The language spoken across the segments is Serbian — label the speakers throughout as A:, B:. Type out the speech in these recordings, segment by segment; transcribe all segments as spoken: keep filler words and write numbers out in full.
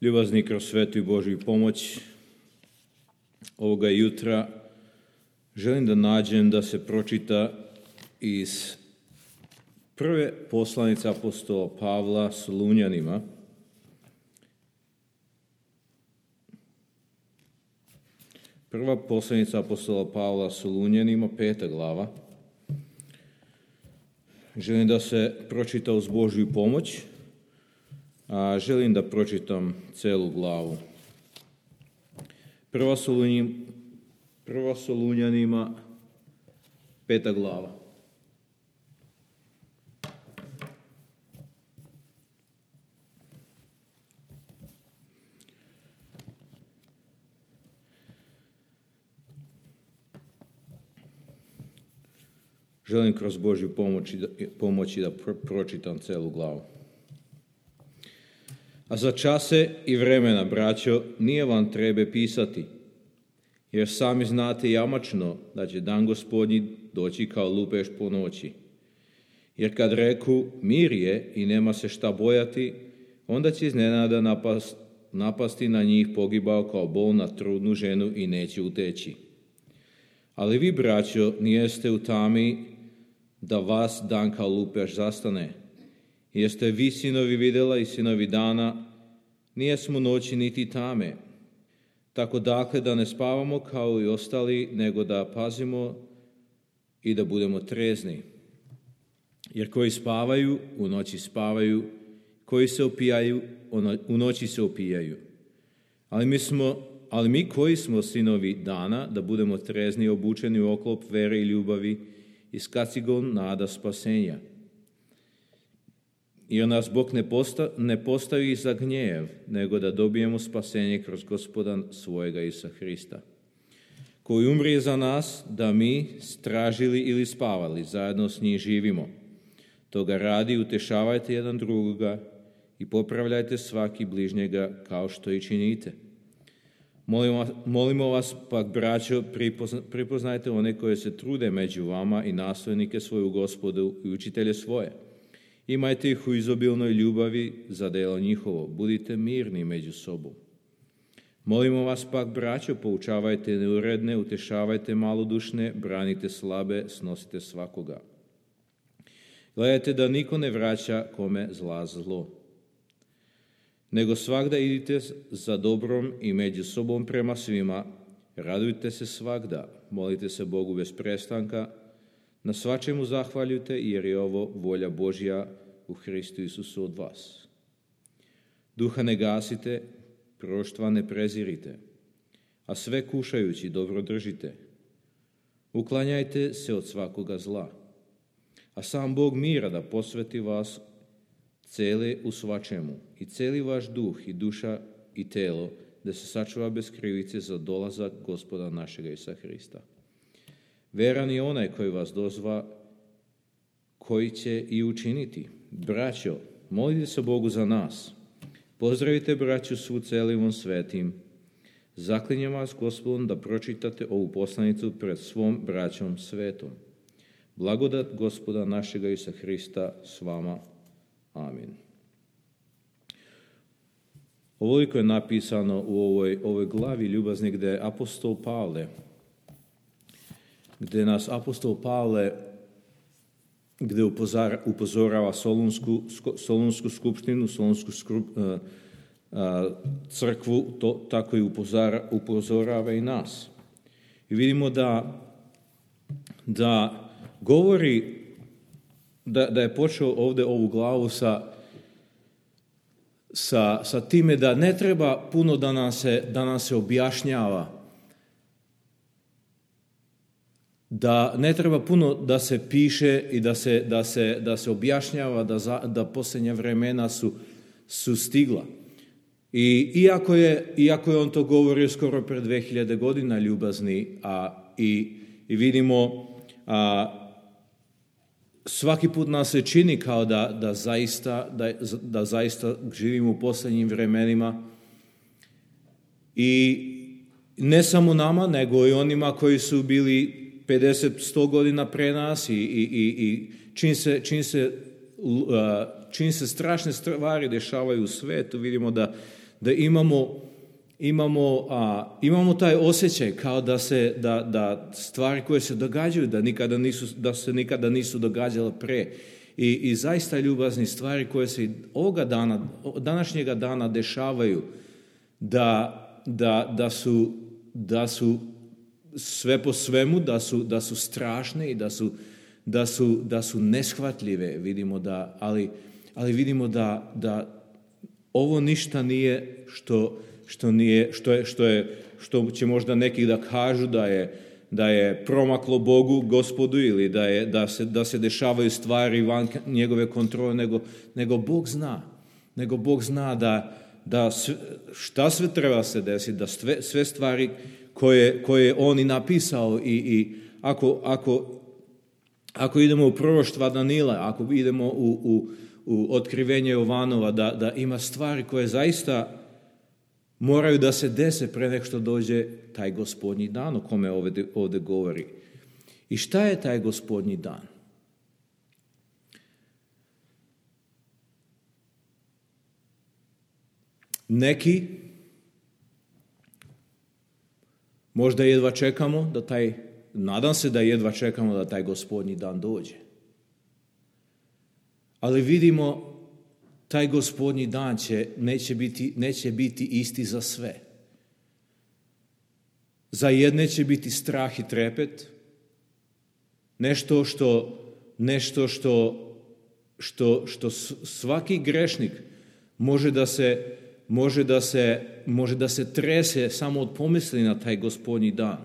A: Ljubazni, kroz svetu i Božju pomoć ovoga jutra želim da nađem da se pročita iz prve poslanice apostola Pavla Solunjanima, prva poslanica apostola Pavla Solunjanima, peta glava. Želim da se pročita uz Božju pomoć, a želim da pročitam celu glavu. Prva, Solunjim, prva Solunjanima, peta glava. Želim kroz Božju pomoći da, pomoći da pročitam celu glavu. A za čase i vremena, braćo, nije vam treba pisati, jer sami znate jamačno da će dan Gospodnji doći kao lupež po noći. Jer kad reku mir je i nema se šta bojati, onda će iznenada napast, napasti na njih pogibao kao bol na trudnu ženu i neće uteći. Ali vi, braćo, nijeste u tami da vas dan kao lupež zastane. Jeste vi, sinovi vidjela i sinovi dana, nijesmo noći niti tame. Tako dakle da ne spavamo kao i ostali, nego da pazimo i da budemo trezni. Jer koji spavaju, u noći spavaju, koji se opijaju, u noći se opijaju. Ali mi, smo, ali mi koji smo sinovi dana, da budemo trezni, obučeni u oklop vere i ljubavi, i s kacigom nada spasenja. Jer nas Bog ne, posta, ne postavi za gnjev, nego da dobijemo spasenje kroz Gospoda svojega Isusa Hrista, koji umrije za nas, da mi, stražili ili spavali, zajedno s njim živimo. Toga radi, utešavajte jedan drugoga i popravljajte svaki bližnjega kao što i činite. Molimo, molimo vas pak, braćo, pripozna, pripoznajte one koje se trude među vama i nastojnike svoju Gospodu i učitelje svoje. Imajte ih u izobilnoj ljubavi za delo njihovo. Budite mirni među sobom. Molimo vas pak, braćo, poučavajte neuredne, utešavajte malodušne, branite slabe, snosite svakoga. Gledajte da niko ne vraća kome zla zlo. Nego svagda idite za dobrom i među sobom prema svima, radujte se svagda, molite se Bogu bez prestanka, na svačemu zahvaljujte, jer je ovo volja Božja u Hristu Isusu od vas. Duha ne gasite, proroštva ne prezirite, a sve kušajući dobro držite. Uklanjajte se od svakoga zla, a sam Bog mira da posveti vas cele u svačemu i celi vaš duh i duša i telo, da se sačuva bez krivice za dolazak Gospoda našega Isusa Hrista. Veran je onaj koji vas dozva, koji će i učiniti. Braćo, molite se Bogu za nas. Pozdravite braću svu celivom svetim. Zaklinjem vas Gospodom da pročitate ovu poslanicu pred svom braćom svetom. Blagodat Gospoda našega Isusa Hrista s vama. Amin. Ovoliko je napisano u ovoj, ovoj glavi ljubazni, gdje apostol Pavle, gdje nas apostol Pavle, gdje upozara, upozorava Solunsku, Solunsku skupštinu, Solunsku skrup, uh, uh, crkvu, to, tako i upozara, upozorava i nas. I vidimo da, da govori, da, da je počeo ovdje ovu glavu sa Sa, sa time da ne treba puno da nam se, da nam se objašnjava, da ne treba puno da se piše i da se, da se, da se objašnjava da, za, da posljednja vremena su, su stigla. I iako je, iako je on to govorio skoro pred dve hiljade godina ljubazni, a, i, i vidimo a, svaki put nam se čini kao da, da, zaista, da, da zaista živimo u posljednjim vremenima i ne samo nama, nego i onima koji su bili pedeset do sto godina pre nas i, i, i, i čim, se, čim, se, čim se strašne stvari dešavaju u svetu, vidimo da, da imamo, imamo, a, imamo taj osjećaj kao da, se, da, da stvari koje se događaju, da, nikada nisu, da se nikada nisu događale pre. I, I zaista ljubazni stvari koje se ovoga dana, današnjega dana dešavaju, da, da, da, su, da su sve po svemu, da su, da su strašne i da su, da su, da su neshvatljive, vidimo da, ali, ali vidimo da, da ovo ništa nije što, što, nije, što, je, što, je, što će možda neki da kažu da je, da je promaklo Bogu, Gospodu, ili da, je, da, se, da se dešavaju stvari van njegove kontrole, nego, nego Bog zna. Nego Bog zna da, da sve, šta sve treba se desiti, da sve, sve stvari koje, koje je On i napisao i, i ako, ako, ako idemo u proroštva Danila, ako idemo u, u, u otkrivenje Jovanova, da, da ima stvari koje zaista moraju da se dese pre nek što dođe taj gospodnji dan o kome ovdje, ovdje govori. I šta je taj gospodnji dan? Neki možda jedva čekamo da taj, nadam se da jedva čekamo da taj gospodnji dan dođe. Ali vidimo, taj gospodnji dan će, neće, biti, neće biti isti za sve. Za jedne će biti strah i trepet, nešto što, nešto što, što, što svaki grešnik može da se, može da se, može da se trese samo od pomisli na taj gospodnji dan.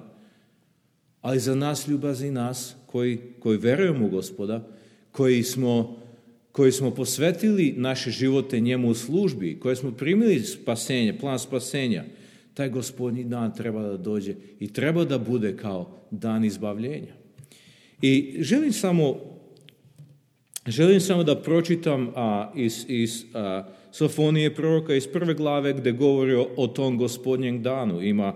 A: Ali za nas, ljubazni nas, koji, koji verujemo u Gospoda, koji smo koji smo posvetili naše živote njemu u službi, koji smo primili spasenje, plan spasenja, taj gospodnji dan treba da dođe i treba da bude kao dan izbavljenja. I želim samo, želim samo da pročitam a, iz, iz a, Sofonije proroka iz prve glave gde govori o, o tom gospodnjem danu. Ima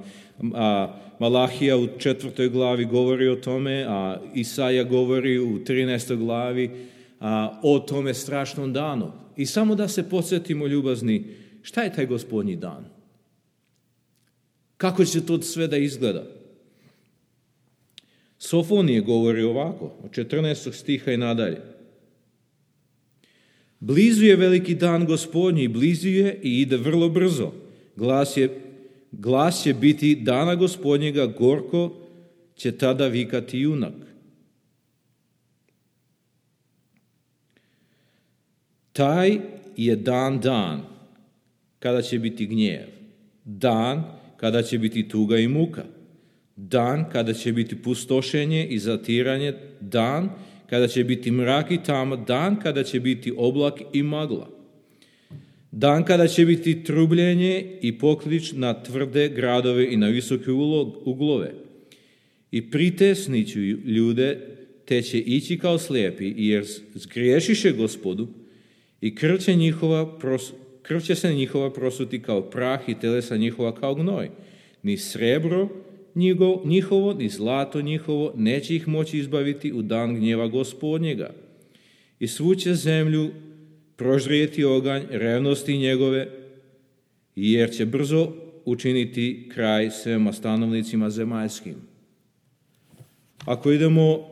A: a, Malahija u četvrtoj glavi govori o tome, a Isaja govori u trinaestoj glavi A, o tome strašnom danu. I samo da se podsjetimo, ljubazni, šta je taj gospodnji dan? Kako će to sve da izgleda? Sofonije govori ovako, od četrnaestog stiha i nadalje. Blizu je veliki dan gospodnji, blizu je i ide vrlo brzo. Glas je, glas će biti dana gospodnjega, gorko će tada vikati junak. Taj je dan dan kada će biti gnjev, dan kada će biti tuga i muka, dan kada će biti pustošenje i zatiranje, dan kada će biti mrak i tama, dan kada će biti oblak i magla, dan kada će biti trubljenje i poklič na tvrde gradove i na visoke uglove. I pritisniću ljude, te će ići kao slijepi, jer zgriješiše Gospodu, i krv će, njihova, krv će se njihova prosuti kao prah i telesa njihova kao gnoj. Ni srebro njihovo, ni zlato njihovo neće ih moći izbaviti u dan gnjeva gospodnjega. I svu će zemlju prožrijeti oganj revnosti njegove, jer će brzo učiniti kraj svema stanovnicima zemaljskim. Ako idemo,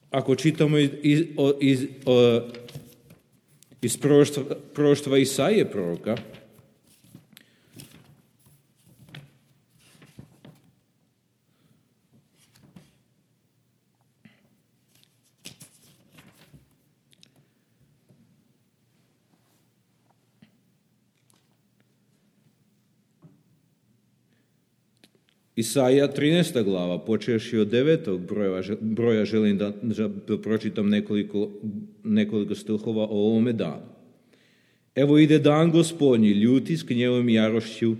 A: ako čitamo iz, iz, iz, iz proroštva, proroštva Isaije proroka, Isaija trinaesta glava, počevši od devetog broja, broja želim da, da pročitam nekoliko, nekoliko stihova o ovome danu. Evo ide dan gospodnji, ljuti s gnjevom i jarošću,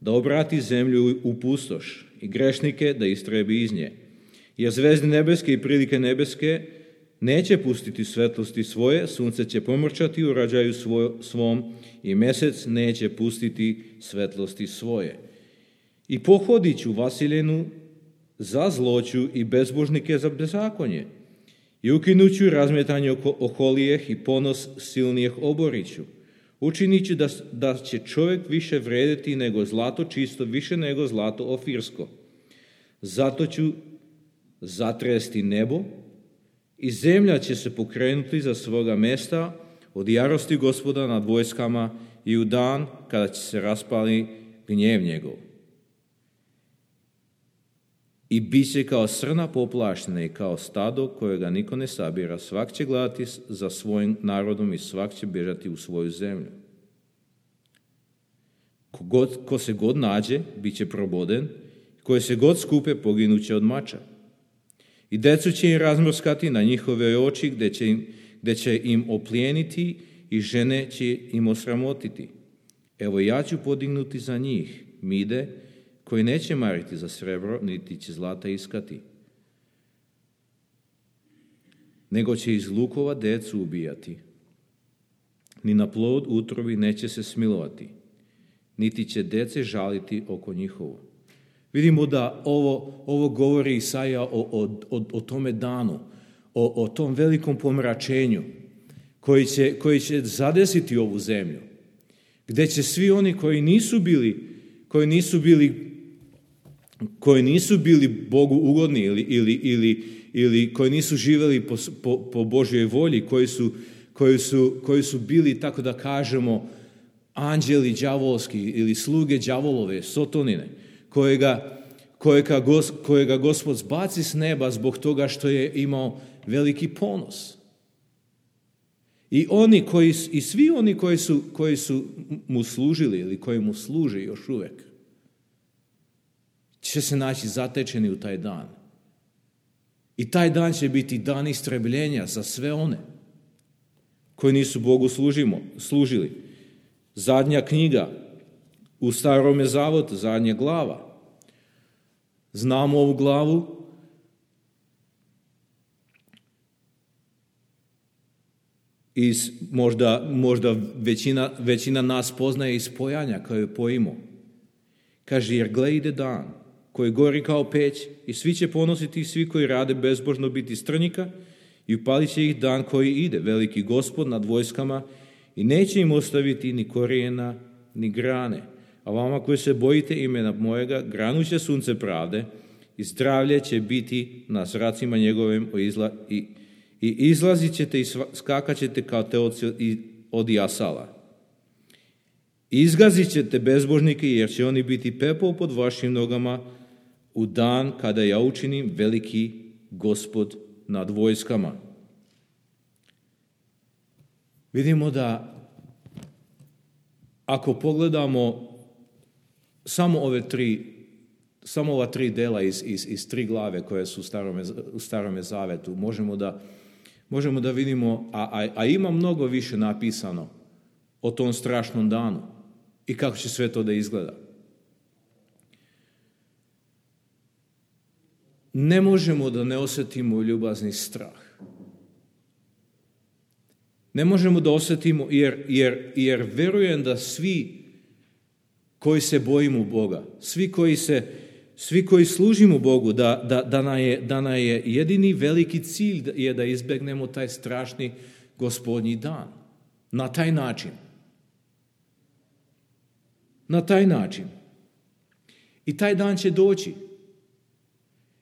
A: da obrati zemlju u pustoš i grešnike da istrebi iz nje. Jer zvezde nebeske i prilike nebeske neće pustiti svetlosti svoje, sunce će pomrčati u rađaju svoj, svom i mesec neće pustiti svetlosti svoje. I pohodit ću Vasiljenu za zloću i bezbožnike za bezakonje. I ukinuću razmetanje oholijeh i ponos silnijeh oboriću. Učinit ću da, da će čovjek više vrediti nego zlato čisto, više nego zlato ofirsko. Zato ću zatresti nebo i zemlja će se pokrenuti za svoga mesta od jarosti Gospoda nad vojskama i u dan kada će se raspali gnjev njegov. I bit će kao srna poplaštena i kao stado kojega niko ne sabira. Svak će gledati za svojim narodom i svak će bježati u svoju zemlju. Ko, god, ko se god nađe, bit će proboden, koje se god skupe, poginuće od mača. I decu će im razmrskati na njihove oči, gdje će im, gdje će im oplijeniti i žene će im osramotiti. Evo ja ću podignuti za njih mide, koji neće mariti za srebro, niti će zlata iskati. Nego će iz lukova decu ubijati. Ni na plod utrobi neće se smilovati, niti će dece žaliti oko njihovo. Vidimo da ovo, ovo govori Isaija o, o, o, o tome danu, o, o tom velikom pomračenju koji će, koji će zadesiti ovu zemlju, gdje će svi oni koji nisu bili, koji nisu bili koji nisu bili Bogu ugodni ili, ili, ili, ili koji nisu živjeli po, po, po Božjoj volji, koji su, koji, su, koji su bili, tako da kažemo, anđeli đavolski ili sluge đavolove, sotonine, kojega, kojega, gos, kojega Gospod zbaci s neba zbog toga što je imao veliki ponos. I oni koji, i svi oni koji su, koji su mu služili ili koji mu služe još uvijek, će se naći zatečeni u taj dan. I taj dan će biti dan istrebljenja za sve one koji nisu Bogu služimo, služili. Zadnja knjiga u Starome Zavotu, zadnja glava. Znamo ovu glavu. Iz, možda možda većina, većina nas poznaje iz pojanja koje je pojimo. Kaže, jer gle ide dan koji gori kao peć i svi će ponositi, svi koji rade bezbožno biti strnjika i upalit će ih dan koji ide, veliki Gospod nad vojskama i neće im ostaviti ni korijena ni grane. A vama koji se bojite imena mojega, granuće sunce pravde i zdravlje će biti na zracima njegovim i, i izlazit ćete i skakat ćete kao teoci od jasala. Izgazit ćete bezbožnike jer će oni biti pepeo pod vašim nogama u dan kada ja učinim veliki Gospod nad vojskama. Vidimo da ako pogledamo samo ove tri, samo ova tri dela iz, iz, iz tri glave koje su u Starome, u Starome Zavetu, možemo da, možemo da vidimo, a, a, a ima mnogo više napisano o tom strašnom danu i kako će sve to da izgleda. Ne možemo da ne osjetimo ljubazni strah. Ne možemo da osjetimo, jer, jer, jer verujem da svi koji se bojimo Boga, svi koji, se, svi koji služimo Bogu, da, da, da, nam je, da nam je jedini veliki cilj je da izbegnemo taj strašni gospodnji dan. Na taj način. Na taj način. I taj dan će doći.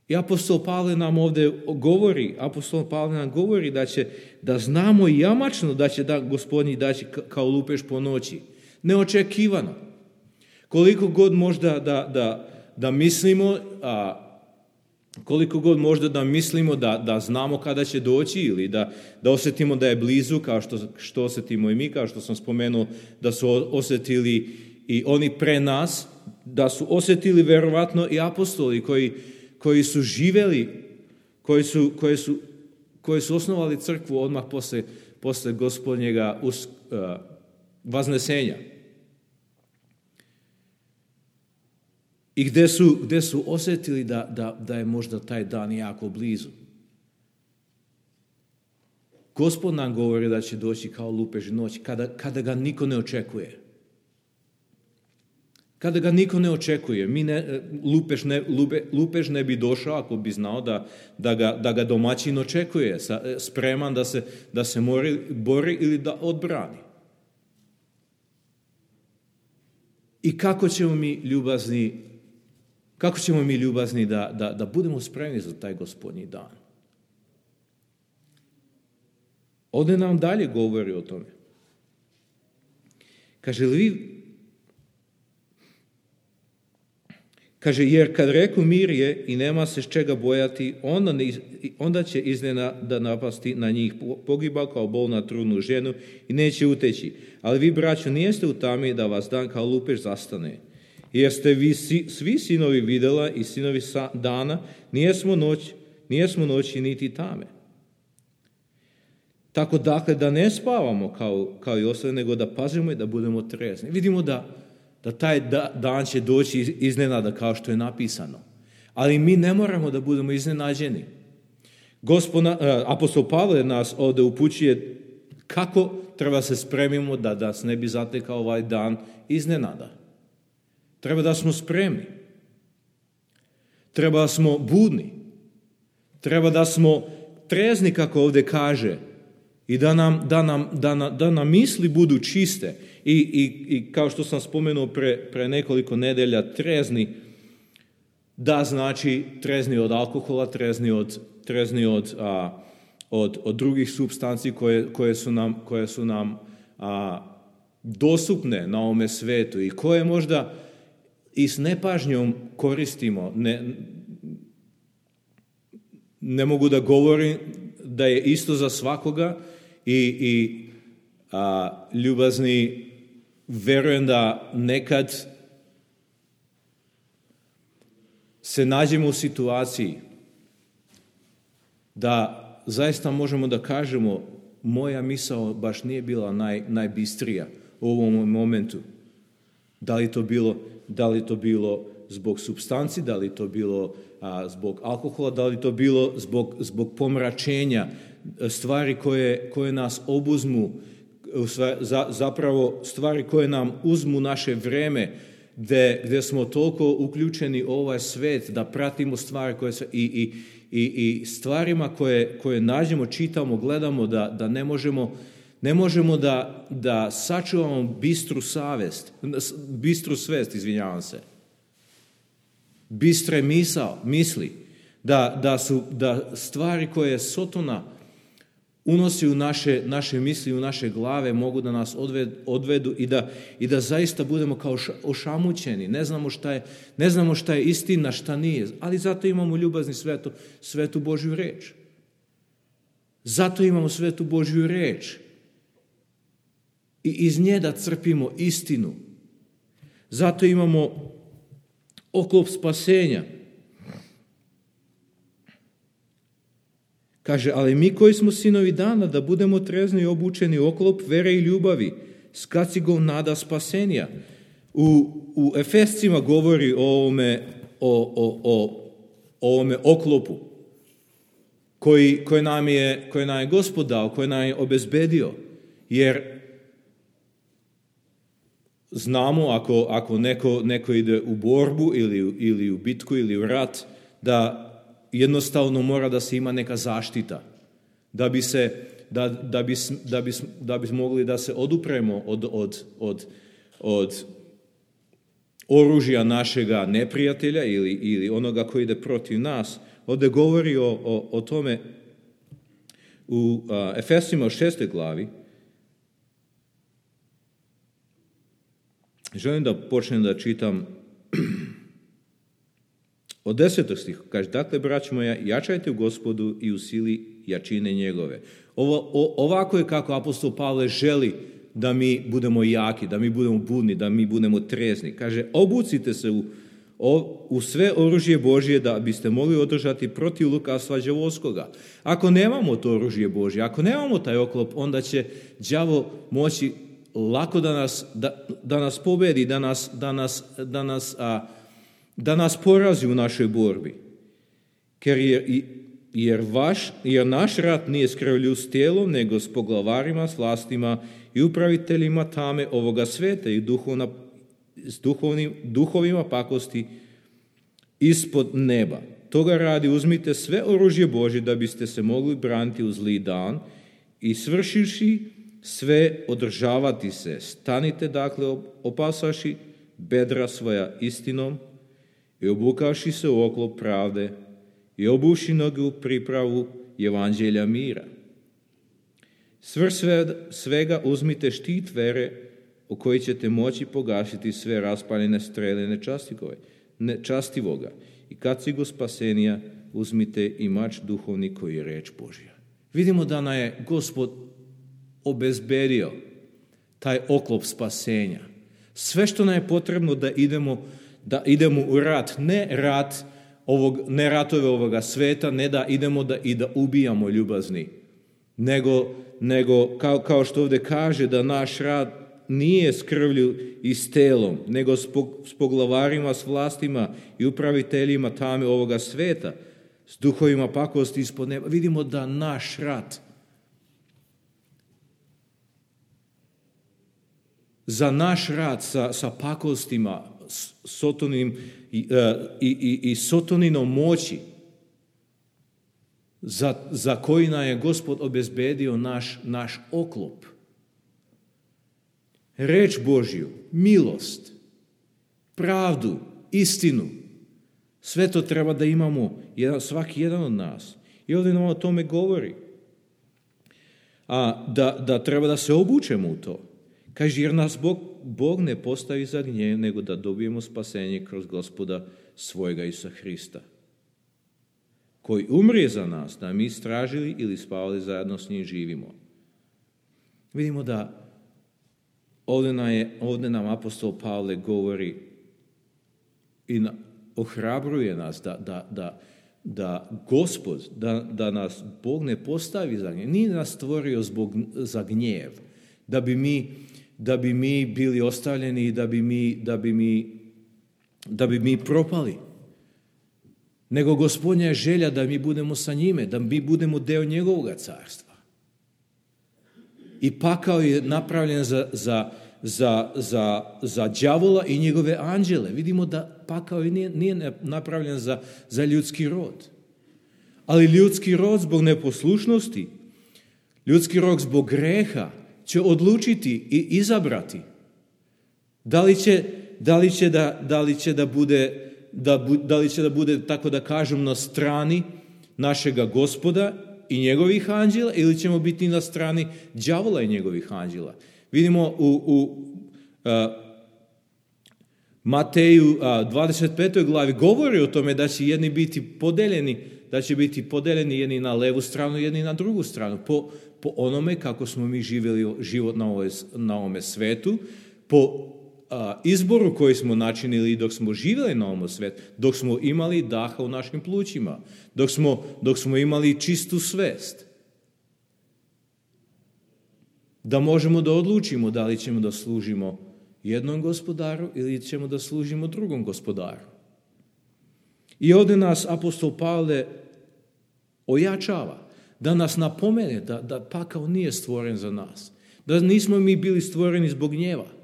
A: I apostol Pavle nam ovdje govori, apostol Pavle nam govori da će, da znamo jamačno da će da gospodnji daći kao lupež po noći. Neočekivano. Koliko god možda da, da, da mislimo, a, koliko god možda da mislimo da, da znamo kada će doći ili da, da osjetimo da je blizu, kao što, što osjetimo i mi, kao što sam spomenuo da su osjetili i oni pre nas, da su osjetili verovatno i apostoli koji koji su živjeli, koji su, koji su, koji su osnovali crkvu odmah posle, posle gospodnjega us, uh, vaznesenja. I gdje su, gdje su osjetili da, da, da je možda taj dan jako blizu. Gospod nam govori da će doći kao lupež noć, kada, kada ga niko ne očekuje. Kada ga niko ne očekuje, mi ne, lupež, ne, lupe, lupež ne bi došao ako bi znao da, da, ga, da ga domaćin očekuje, sa, spreman da se, da se mori, bori ili da odbrani. I kako ćemo mi ljubazni, kako ćemo mi ljubazni da, da, da budemo spremni za taj gospodnji dan? Ovdje nam dalje govori o tome. Kaže, vi, kaže, jer kad reku mir je i nema se s čega bojati, onda, onda će iznenada napasti na njih pogiba kao bol na trudnu ženu i neće uteći. Ali vi, braćo, nijeste u tami da vas dan kao lupež zastane. Jer ste vi svi sinovi videla i sinovi dana, nijesmo noć, nijesmo noći niti tame. Tako dakle da ne spavamo kao, kao i ostali, nego da pazimo i da budemo trezni. Vidimo da, da taj da, dan će doći iznenada kao što je napisano. Ali mi ne moramo da budemo iznenađeni. Gospoda, apostol Pavle nas ovdje upućuje kako treba se spremimo da nas ne bi zatekao ovaj dan iznenada. Treba da smo spremni. Treba da smo budni. Treba da smo trezni, kako ovdje kaže, i da nam, da nam, da nam, da nam misli budu čiste. I, i, i kao što sam spomenuo pre, pre nekoliko nedelja, trezni, da znači trezni od alkohola, trezni od, trezni od, a, od, od drugih supstanci koje, koje su nam, koje su nam a, dostupne na ovome svetu i koje možda i s nepažnjom koristimo. Ne, ne mogu da govorim da je isto za svakoga i, i a, ljubazni, verujem da nekad se nađemo u situaciji da zaista možemo da kažemo moja misao baš nije bila naj, najbistrija u ovom momentu. Da li to bilo, da li to bilo zbog supstanci, da li to bilo a, zbog alkohola, da li to bilo zbog, zbog pomračenja, stvari koje, koje nas obuzmu, za, zapravo stvari koje nam uzmu naše vreme, gdje, gdje smo toliko uključeni u ovaj svet da pratimo stvari koje se, i, i, i, i stvarima koje, koje nađemo, čitamo, gledamo, da, da ne možemo, ne možemo da, da sačuvamo bistru savest, bistru svest, izvinjavam se. Bistre misao, misli, da, da su da stvari koje Sotona unosi u naše, naše misli, u naše glave, mogu da nas odvedu, odvedu i, da, i da zaista budemo kao ošamućeni. Ne znamo šta je, ne znamo šta je istina, šta nije. Ali zato imamo ljubazni svetu, svetu Božju reč. Zato imamo svetu Božju reč. I iz nje da crpimo istinu. Zato imamo oklop spasenja. Kaže, ali mi koji smo sinovi dana, da budemo trezni i obučeni oklop vere i ljubavi, s kacigom nada spasenja. U, u Efescima govori o ovome, o, o, o, o ovome oklopu koji, koji, nam je, koji nam je Gospod dao, koji nam je obezbedio. Jer znamo, ako, ako neko, neko ide u borbu ili, ili u bitku ili u rat, da jednostavno mora da se ima neka zaštita, da bi se, da, da bi, da bi, da bi mogli da se odupremo od, od, od, od oružja našega neprijatelja ili, ili onoga koji ide protiv nas. Ovdje govori o, o, o tome u a, Efesima u šestoj glavi. Želim da počnem da čitam od desetog stiha. Kaže, dakle, braćo moja, jačajte u Gospodu i u sili jačine njegove. Ovo, o, ovako je kako apostol Pavle želi da mi budemo jaki, da mi budemo budni, da mi budemo trezni. Kaže, obucite se u, o, u sve oružje Božje da biste mogli održati protiv lukavstva đavolskoga. Ako nemamo to oružje Božje, ako nemamo taj oklop, onda će đavo moći lako da nas, da, da nas pobedi, da nas, da nas, da nas, a, da nas porazi u našoj borbi. Jer, jer, vaš, jer naš rat nije s krvlju s tijelom, nego s poglavarima, s vlastima i upraviteljima tame ovoga sveta i duhovna, s duhovnim, duhovima pakosti ispod neba. Toga radi uzmite sve oružje Božje da biste se mogli braniti u zli dan i svršivši sve održavati se. Stanite dakle opasaši bedra svoja istinom i obukavši se u oklop pravde i obuši noge u pripravu evanđelja mira. Svrh svega uzmite štit vere u koji ćete moći pogašiti sve raspaljene strele nečastivoga. I kad si go spasenija, uzmite i mač duhovni koji je reč Božja. Vidimo da nam je Gospod obezbedio taj oklop spasenja. Sve što nam je potrebno da idemo, da idemo u rat, ne rat ovog, ne ratove ovoga sveta, ne da idemo da i da ubijamo ljubazni, nego, nego kao, kao što ovdje kaže da naš rat nije s krvlju i s telom, nego s poglavarima, s vlastima i upraviteljima tame ovoga sveta, s duhovima pakosti ispod neba. Vidimo da naš rat za naš rat sa, sa pakostima, sotonim i, i, i, i sotoninom moći, za, za koji nam je Gospod obezbedio naš, naš oklop. Reč Božju, milost, pravdu, istinu, sve to treba da imamo jedan, svaki jedan od nas. I ovdje nam o tome govori. A da, da treba da se obučemo u to. Kaže, jer nas Bog, Bog ne postavi za gnjev, nego da dobijemo spasenje kroz Gospoda svojega Isusa Hrista, koji umrije za nas, da mi istražili ili spavali zajedno s njim živimo. Vidimo da ovdje nam, je, ovdje nam apostol Pavle govori i na, ohrabruje nas da, da, da, da Gospod, da, da nas Bog ne postavi za gnjev. Nije nas stvorio zbog, za gnjev, da bi mi, da bi mi bili ostavljeni i da bi mi, da bi mi, da bi mi propali. Nego Gospodnja je želja da mi budemo sa njime, da mi budemo deo njegovog carstva. I pakao je napravljen za, za, za, za, za đavola i njegove anđele. Vidimo da pakao nije, nije napravljen za, za ljudski rod. Ali ljudski rod zbog neposlušnosti, ljudski rod zbog greha će odlučiti i izabrati. Da li će, da li će, da, da, li će da bude... Da, da li će da bude, tako da kažem, na strani našega Gospoda i njegovih anđela ili ćemo biti na strani đavola i njegovih anđela. Vidimo u, u a, Mateju a, dvadeset petoj glavi govori o tome da će jedni biti podeljeni, da će biti podeljeni jedni na levu stranu, jedni na drugu stranu. Po, po onome kako smo mi živjeli život na, ovoj, na ovome svetu, po A, izboru koji smo načinili dok smo živjeli na ovom svijetu, dok smo imali daha u našim plućima, dok smo, dok smo imali čistu svest. Da možemo da odlučimo da li ćemo da služimo jednom gospodaru ili ćemo da služimo drugom gospodaru. I ovdje nas apostol Pavle ojačava, da nas napomene da, da pakao nije stvoren za nas, da nismo mi bili stvoreni zbog gnjeva,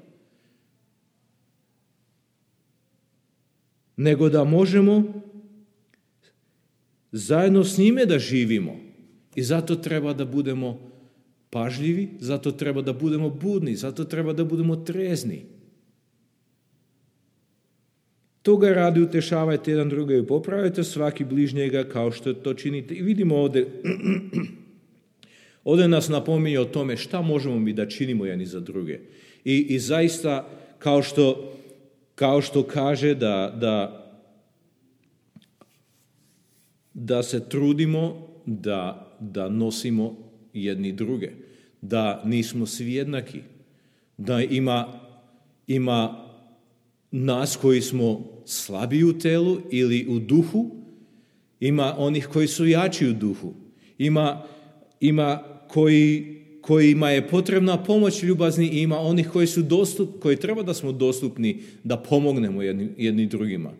A: nego da možemo zajedno s njime da živimo. I zato treba da budemo pažljivi, zato treba da budemo budni, zato treba da budemo trezni. Toga radi utešavajte jedan druga i popravajte svaki bližnjega kao što to činite. I vidimo ovdje, ovdje nas napominje o tome šta možemo mi da činimo jedni za druge. I, i zaista, kao što Kao što kaže da, da, da se trudimo da, da nosimo jedni druge, da nismo svi jednaki, da ima, ima nas koji smo slabiji u telu ili u duhu, ima onih koji su jači u duhu, ima, ima koji... kojima je potrebna pomoć ljubazni i ima onih koji su dostup, koji treba da smo dostupni da pomognemo jedni, jedni drugima.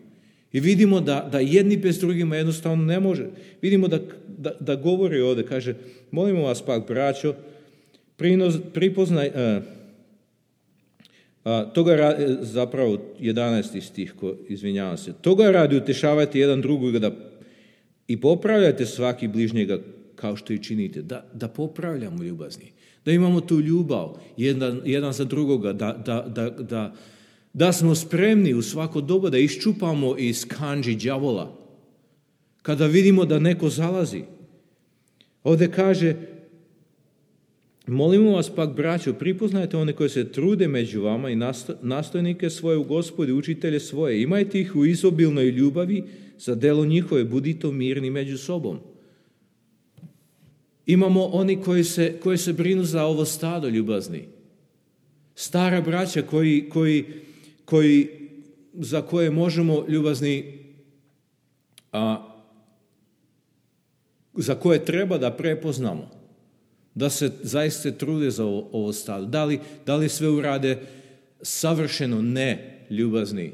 A: I vidimo da, da jedni bez drugima jednostavno ne može. Vidimo da, da, da govori ovdje, kaže, molimo vas pak, braćo, prinos, pripoznaj, a, a, toga radi, zapravo jedanaesti stih, ko, izvinjavam se, toga radi utešavajte jedan drugoga da, i popravljajte svaki bližnjega kao što i činite, da, da popravljamo ljubazni, da imamo tu ljubav jedan, jedan za drugoga, da, da, da, da, Da smo spremni u svako doba da iščupamo iz kandži đavola. Kada vidimo da neko zalazi. Ovdje kaže, molimo vas pak, braćo, pripoznajte one koji se trude među vama i nastojnike svoje u Gospodi, učitelje svoje. Imajte ih u izobilnoj ljubavi za delo njihove, budite mirni među sobom. Imamo oni koji se, koji se brinu za ovo stado, ljubazni. Stara braća koji, koji, koji, za koje možemo, ljubazni, a, za koje treba da prepoznamo, da se zaista trude za ovo, ovo stado. Da li, da li sve urade savršeno? Ne, ljubazni.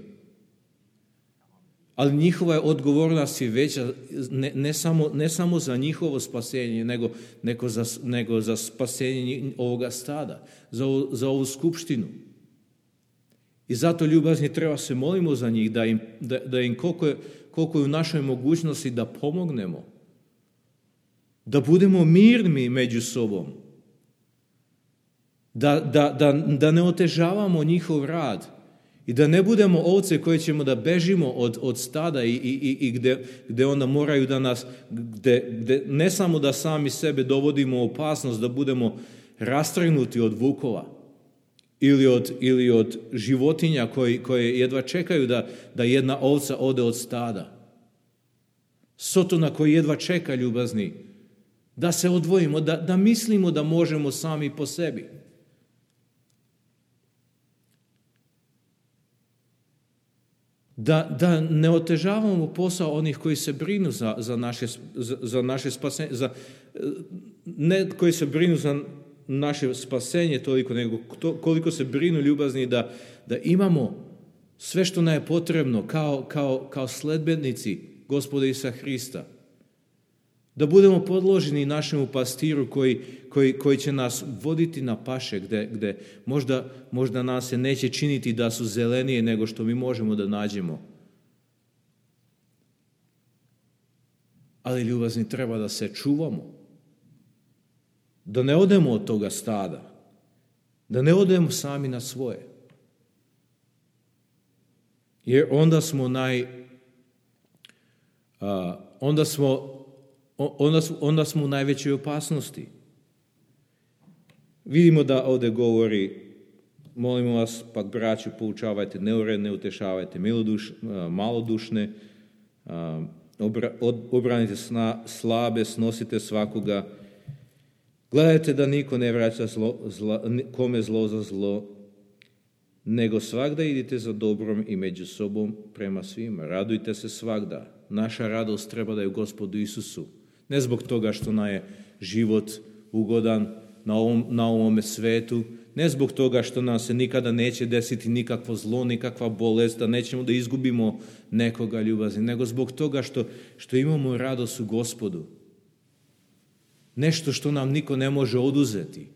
A: Ali njihova je odgovornost i veća, ne, ne, samo, ne samo za njihovo spasenje, nego, nego, za, nego za spasenje ovoga stada, za, za ovu skupštinu. I zato, ljubazni, treba se molimo za njih, da im, da, da im koliko, je, koliko je u našoj mogućnosti da pomognemo, da budemo mirni među sobom, da, da, da, da ne otežavamo njihov rad i da ne budemo ovce koje ćemo da bežimo od, od stada i, i, i gde, gde onda moraju da nas, gde, gde ne samo da sami sebe dovodimo u opasnost, da budemo rastrgnuti od vukova ili od, ili od životinja koji, koje jedva čekaju da, da jedna ovca ode od stada. Sotona koji jedva čeka, ljubazni, da se odvojimo, da, da mislimo da možemo sami po sebi. Da, da ne otežavamo posao onih koji se brinu za, za, naše, za, za naše spasenje, za, ne koji se brinu za naše spasenje toliko, nego to, koliko se brinu, ljubazni, da, da imamo sve što nam je potrebno kao, kao, kao sledbenici Gospoda Isusa Hrista. Da budemo podloženi našemu pastiru koji, koji, koji će nas voditi na paše gde, gde možda, možda nas se neće činiti da su zelenije nego što mi možemo da nađemo. Ali, ljubazni, treba da se čuvamo. Da ne odemo od toga stada. Da ne odemo sami na svoje. Jer onda smo naj... A, onda smo Onda, onda smo u najvećoj opasnosti. Vidimo da ovdje govori, molimo vas, pak braću, poučavajte neuredne, utešavajte miloduš, malodušne, obra, obranite sna, slabe, snosite svakoga. Gledajte da niko ne vraća zlo, zla, kome zlo za zlo, nego svagda idite za dobrom i među sobom prema svima. Radujte se svagda. Naša radost treba da je u Gospodu Isusu. Ne zbog toga što nam je život ugodan na ovom, na ovome svetu, ne zbog toga što nam se nikada neće desiti nikakvo zlo, nikakva bolest, da nećemo da izgubimo nekoga, ljubazni, nego zbog toga što, što imamo radost u Gospodu. Nešto što nam niko ne može oduzeti.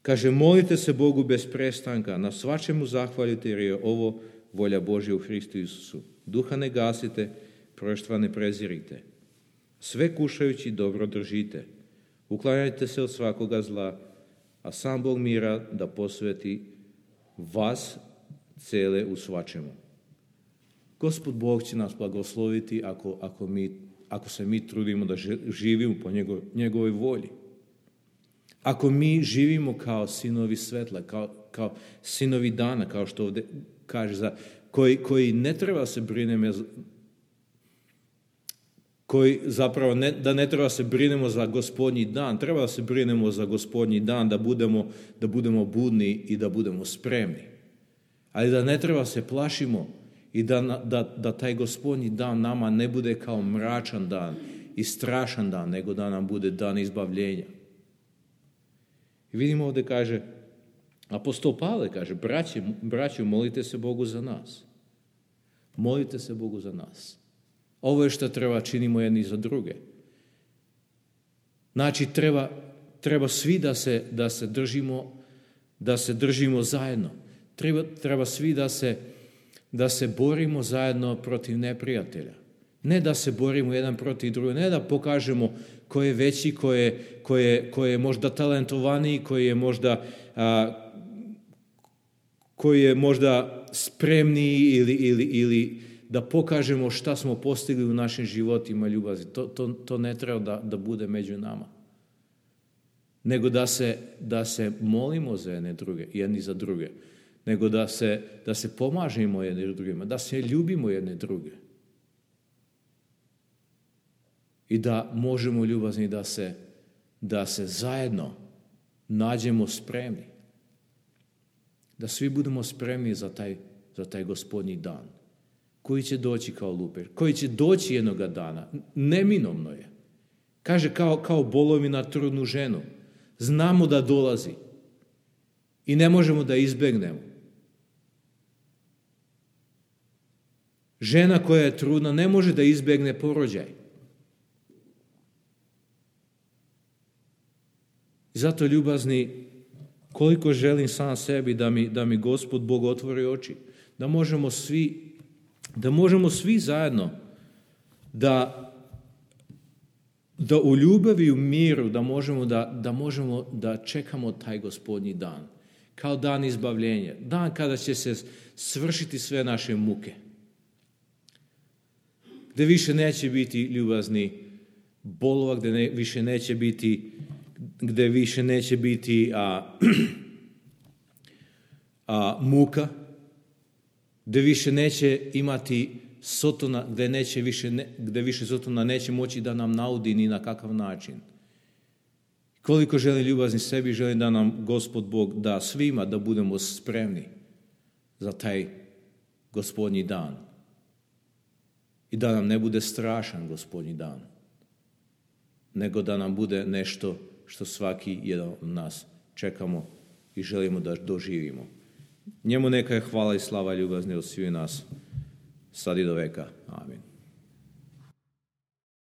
A: Kaže, molite se Bogu bez prestanka, na svačemu zahvalite jer je ovo volja Božja u Hristu Isusu. Duha ne gasite, proštva ne prezirite. Sve kušajući dobro držite. Uklanjajte se od svakoga zla, a sam Bog mira da posveti vas cele u svačemu. Gospod Bog će nas blagosloviti ako, ako, mi, ako se mi trudimo da živimo po njegov, njegovoj volji. Ako mi živimo kao sinovi svetla, kao, kao sinovi dana, kao što ovdje kaže, za, koji, koji ne treba se brinemo, koji zapravo ne, da ne treba se brinemo za gospodnji dan, treba da se brinemo za gospodnji dan, da budemo, da budemo budni i da budemo spremni. Ali da ne treba se plašimo i da, da, da taj gospodnji dan nama ne bude kao mračan dan i strašan dan, nego da nam bude dan izbavljenja. I vidimo ovdje kaže, apostol Pavle kaže, braći, braći, molite se Bogu za nas. Molite se Bogu za nas. Ovo je što treba činimo jedni za druge. Znači, treba, treba svi da se, da se držimo, da se držimo zajedno. Treba, treba svi da se, da se borimo zajedno protiv neprijatelja. Ne da se borimo jedan protiv drugog, ne da pokažemo ko je veći, ko je, ko je, ko je možda talentovaniji, koji je možda a, koji je možda spremniji ili, ili, ili da pokažemo šta smo postigli u našim životima ljubavi. To, to, to ne treba da, da bude među nama. Nego da se, da se molimo za jedne druge, jedni za druge. Nego da se, da se pomažemo jedni drugima, da se ljubimo jedne druge. I da možemo ljubazni da se, da se zajedno nađemo spremni. Da svi budemo spremni za taj, za taj gospodnji dan. Koji će doći kao luper. Koji će doći jednoga dana. Neminovno je. Kaže kao, kao bolovi na trudnu ženu. Znamo da dolazi. I ne možemo da izbegnemo. Žena koja je trudna ne može da izbegne porođaj. I zato, ljubazni, koliko želim sam sebi da mi, da mi Gospod Bog otvori oči. Da možemo svi, da možemo svi zajedno da, da u ljubavi i u miru da možemo da, da možemo da čekamo taj gospodnji dan. Kao dan izbavljenja. Dan kada će se svršiti sve naše muke. Gde više neće biti ljubazni bolova, gde ne, više neće biti gde više neće biti a, a, muka, gde više neće imati Sotona, gde, neće više, ne, gde više Sotona neće moći da nam naudi ni na kakav način. Koliko želim ljubazni sebi, želim da nam Gospod Bog da svima da budemo spremni za taj gospodnji dan. I da nam ne bude strašan gospodnji dan, nego da nam bude nešto što svaki jedan od nas čekamo i želimo da doživimo. Njemu neka je hvala i slava ljubazni od svih nas, sad i do veka. Amin.